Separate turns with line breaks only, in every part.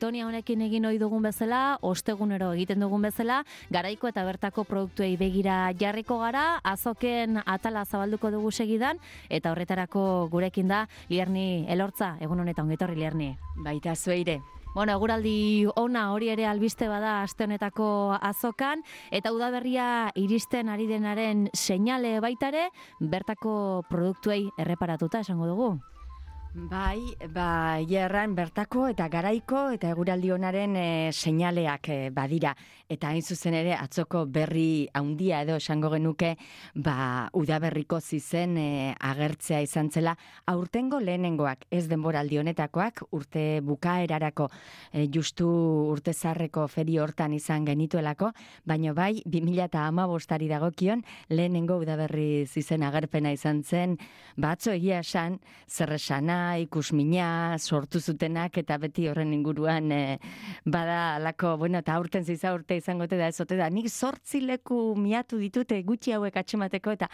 sintonia honekin egin ohi dugun bezala, ostegunero egiten dugun bezala, Garaiko eta bertako produktuei begira jarriko gara, azoken atala zabalduko dugu segidan, eta horretarako gurekin da Lierni Elortza, egun honetan ongetorri Lierni.
Baita zueire.
Bueno, eguraldi ona hori ere albiste bada aste honetako azokan, eta udaberria iristen ari denaren seinale baitare, bertako produktuei erreparatuta esango dugu.
Bai, erran bertako eta Garaiko eta eguraldi onaren seinaleak badira. Eta hain zuzen ere atzoko berri handia edo esango genuke, udaberriko zizen agertzea izan zela. Aurtengo lehenengoak, ez denboraldi honetakoak, urte bukaerarako, justu urte zarreko feri hortan izan genituelako, baina bai, 2015 dagokion, lehenengo udaberri zizen agerpena izan zen, batzo egia esan, zer esana, ikusmina, sortu zutenak, eta beti horren inguruan bada alako, eta aurten ziza urte izangote da ezote da, nik 8 leku miatu ditute gutxi hauek atxemateko, eta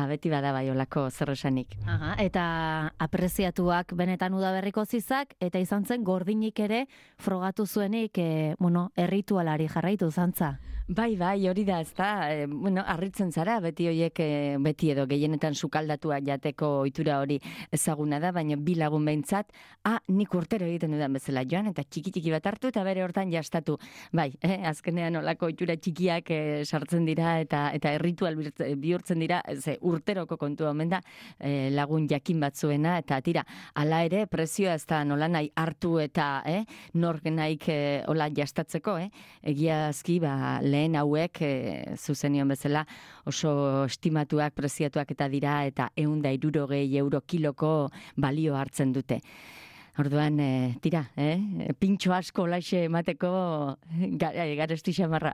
beti bada bai olako zer esanik.
Aha, eta apreziatuak benetan udaberriko zizak, eta izan zen gordinik ere frogatu zuenik, erritualari jarraitu zantza.
Bai, hori da, ez da, harritzen zara, beti horiek, beti edo gehienetan sukaldatua jateko ohitura hori ezaguna da, baina bi lagun behintzat, nik urtero egiten dudan bezala joan, eta txiki bat hartu, eta bere hortan jastatu. Bai, azkenean olako ohitura txikiak sartzen dira, eta erritual bihurtzen dira, urteroko kontua omen da, lagun jakin batzuena, eta tira, hala ere, prezioa ez da nola nahi hartu eta nork nahik hola jastatzeko, egiazki, lehen hauek zuzenion bezala oso estimatuak, preziatuak eta dira, eta 160 euro kiloko balio hartzen dute. Orduan, tira, pintxo asko olaxe emateko garesti xamarra.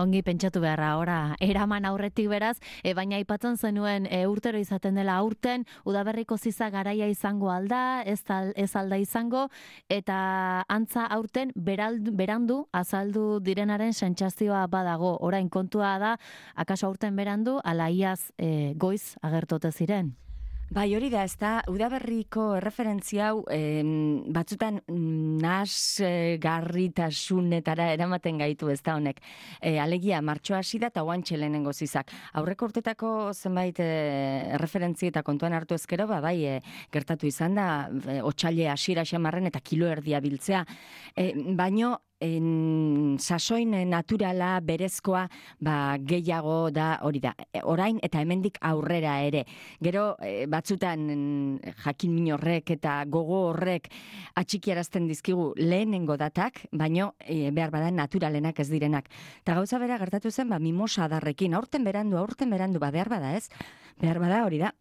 Ongi pentsatu beharra, ora, eraman aurretik beraz, baina aipatzen zenuen urtero izaten dela aurten, udaberriko ziza garaia izango alda, ez alda izango, eta antza aurten berandu azaldu direnaren sentsazioa badago. Orain kontua da, akaso aurten berandu, ala iaz goiz agertote ziren.
Bai, hori da, ez da, udaberriko erreferentzia hau batzutan garritasunetara eramaten gaitu ez da honek. Alegia, martxoa hasi da eta oantxe lehenengo zizak. Aurreko urtetako zenbait erreferentzia eta kontuan hartu ezkero, bai, gertatu izan da, otsaile hasiera xamarren eta kilo erdia biltzea. Baino, sasoin naturala, berezkoa, gehiago da hori da. Orain eta hemendik aurrera ere. Gero, batzutan jakin min horrek eta gogo horrek atxikiarazten dizkigu lehenengo datak, baino behar bada naturalenak ez direnak. Eta gauza bera gertatu zen, mimosa adarrekin, aurten berandu, behar bada ez? Behar bada hori da.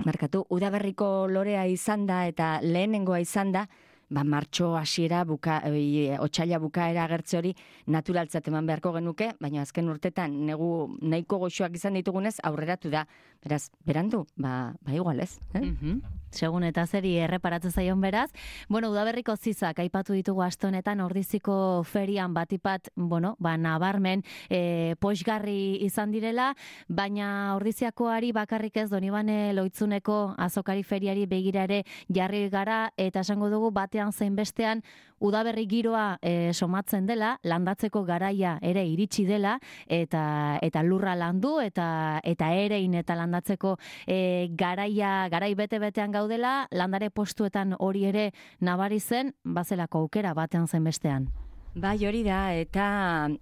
Markatu, udaberriko lorea izan da eta lehenengoa izan da, martxo hasiera otsaila bukaera agertze hori naturaltzat eman beharko genuke, baina azken urtetan nahiko goxoak izan ditugunez aurreratu da. Beraz, berandu, igual ez.
Segun eta zeri erreparatzen zaion beraz. Udaberriko zizak aipatu ditugu aste honetan Ordiziko ferian batipat, nabarmen poxgarri izan direla, baina Ordiziakoari bakarrik ez Donibane Loitzuneko azokari feriari begira ere jarri gara, eta esango dugu batean zein bestean udaberri giroa somatzen dela, landatzeko garaia ere iritsi dela, eta lurra landu, eta erein eta landatzeko garai bete-betean gaudela, landare postuetan hori ere nabari zen, bazelako aukera batean zen bestean.
Bai, hori da, eta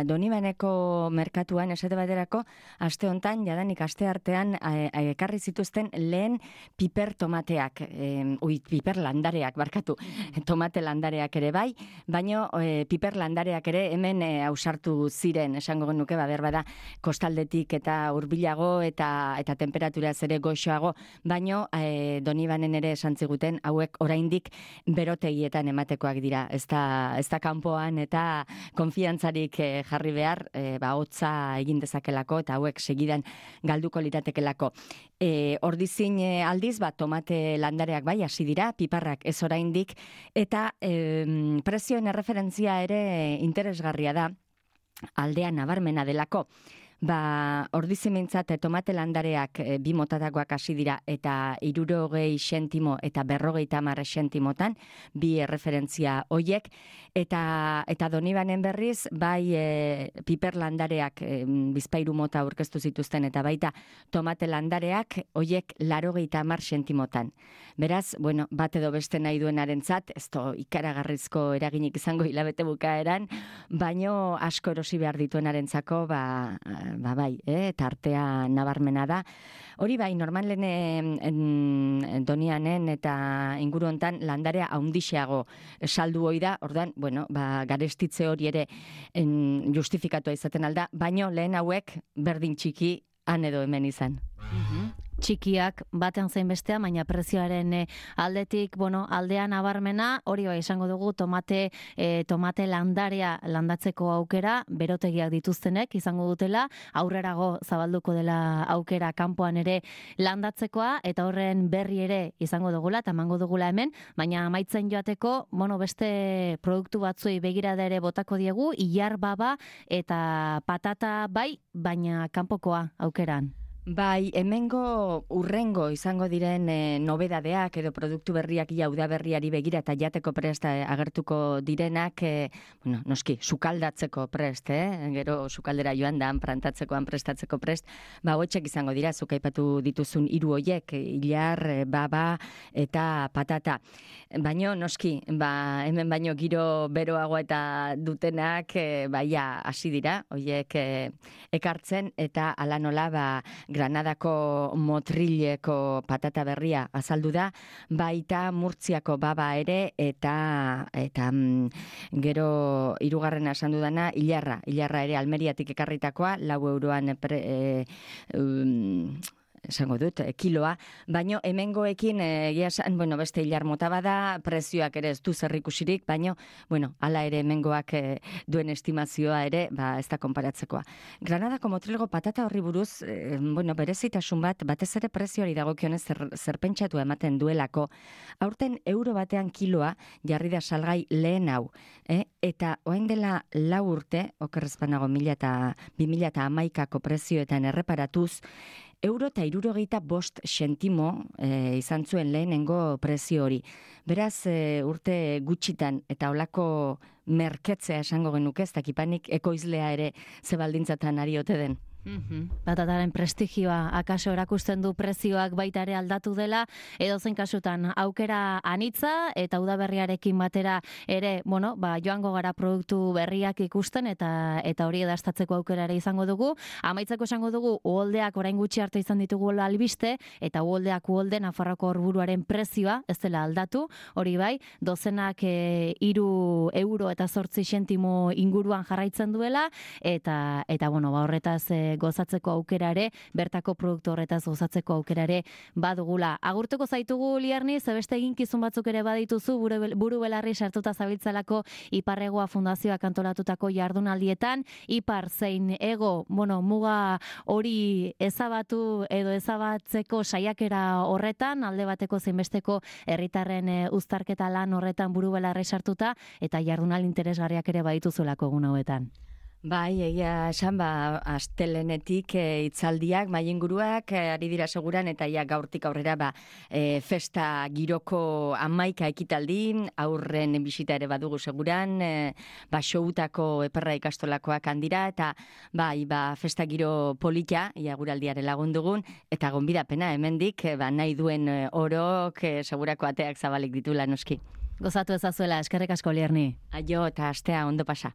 Donibaneko merkatuan esate baterako, aste hontan, jadanik aste artean, ekarri zituzten lehen piper tomateak, piper landareak, barkatu, tomate landareak ere bai, baino piper landareak ere hemen ausartu ziren, esango genuke, behar bada, kostaldetik eta hurbilago eta temperatura ere goxoago, baino Donibanen ere esan ziguten, hauek oraindik berotegietan ematekoak dira, ez da kanpo eta konfiantzarik jarri behar, hotza egin dezakelako eta hauek segidan galduko liratekelako. Ordizin aldiz, tomate landareak bai hasi dira, piparrak ez oraindik, eta prezioen erreferentzia ere interesgarria da, aldea nabarmena delako. Ordizimentzat tomate landareak 2 motatakoak hasi dira eta 60 zentimo eta 50 zentimotan, 2 erreferentzia hoiek, eta Donibanen berriz, bai piper landareak bizpairu mota aurkeztu zituzten, eta baita tomate landareak hoiek 80 zentimotan. Beraz, bueno, bat edo beste nahi duenarentzat, ez do ikaragarrizko eraginik izango hilabete bukaeran, baino asko erosi behar dituenarentzako, bai, tartea nabarmena da. Hori bai, normalen Donianen eta inguru hontan landarea haundixeago saldu hoi da, ordan, bueno, garestitze hori ere justifikatua izaten alda, baino lehen hauek berdin txiki han edo hemen izan.
Txikiak batean zein bestea, baina prezioaren aldetik, aldean nabarmena, hori bai esango dugu tomate landarea landatzeko aukera, berotegiak dituztenek izango dutela, aurrerago zabalduko dela aukera kanpoan ere landatzekoa, eta horren berri ere izango dugula, eta emango dugula hemen, baina amaitzen joateko, beste produktu batzuei begirada ere botako diegu, ilar baba eta patata bai, baina kanpokoa aukeran.
Bai, hemengo urrengo izango diren nobedadeak edo produktu berriak udaberriari begira eta jateko prest agertuko direnak, noski, sukaldatzeko prest, gero sukaldera joan da, plantatzekoan prestatzeko prest, hoetxek izango dira, zuk aipatu dituzun 3 hoiek, ilar, baba eta patata. Baino, noski, hemen baino giro beroago eta dutenak, hasi dira, hoiek ekartzen, eta ala nola, Granadako motrileko patata berria azaldu da, baita Murtziako baba ere, eta gero 3. esan dudana, ilarra ere Almeriatik ekarritakoa, 4 euroan esango dut, kiloa, baino hemengoekin beste ilar mota bada, prezioak ere ez du zerrikusirik, baino, hala ere hemengoak duen estimazioa ere, ez da konparatzekoa. Granadako motrilgo patata horri buruz, berezitasun batez ere prezioari dagokionez zerpentsatu ematen duelako, aurten euro batean kiloa jarri da salgai lehen hau, eta orain dela 4 urte, okerrezpanago 2011ko prezioetan erreparatuz, euro eta 65 zentimo izan zuen lehenengo prezio hori. Beraz, urte gutxitan eta olako merketzea esango genuke, ez dakipanik ekoizlea ere zebaldintzatan ari ote den.
Patataren prestigioa akaso erakusten du prezioak baita ere aldatu dela, edozein kasutan aukera anitza eta udaberriarekin batera ere, joango gara produktu berriak ikusten eta hori edastatzeko aukera ere izango dugu. Amaitzeko esango dugu, uholdeak orain gutxi arte izan ditugu albiste, eta uholde Nafarroako Orburuaren prezioa ez dela aldatu, hori bai, dozenak 3 euro eta 8 zentimo inguruan jarraitzen duela, eta horretaz gozatzeko aukera ere, bertako produktu horretaz gozatzeko aukera ere badugula. Agurtuko zaitugu, Liarni, zebeste eginkizun batzuk ere badituzu, buru belarri sartuta zabiltzalako Iparregoa Fundazioak antolatutako jardunaldietan, Ipar zein ego, muga hori ezabatu edo ezabatzeko saiakera horretan, alde bateko zeinbesteko herritarren uztarketa lan horretan buru belarri sartuta, eta jardunal interesgarriak ere badituzulako egun hauetan.
Bai, egia esan, astelenetik hitzaldiak, mailinguruak ari dira seguran, eta gaurtik aurrera festa giroko 11 ekitaldin, aurren bisita ere badugu seguran, showutako eperra ikastolakoak handira, eta festa giro polita, guraldiare lagundugun, eta gonbidapena hemendik, nahi duen orok, segurako ateak zabalik ditula noski.
Gozatu ezazuela, eskerrik asko, Lierni.
Aio, eta astea ondo pasa.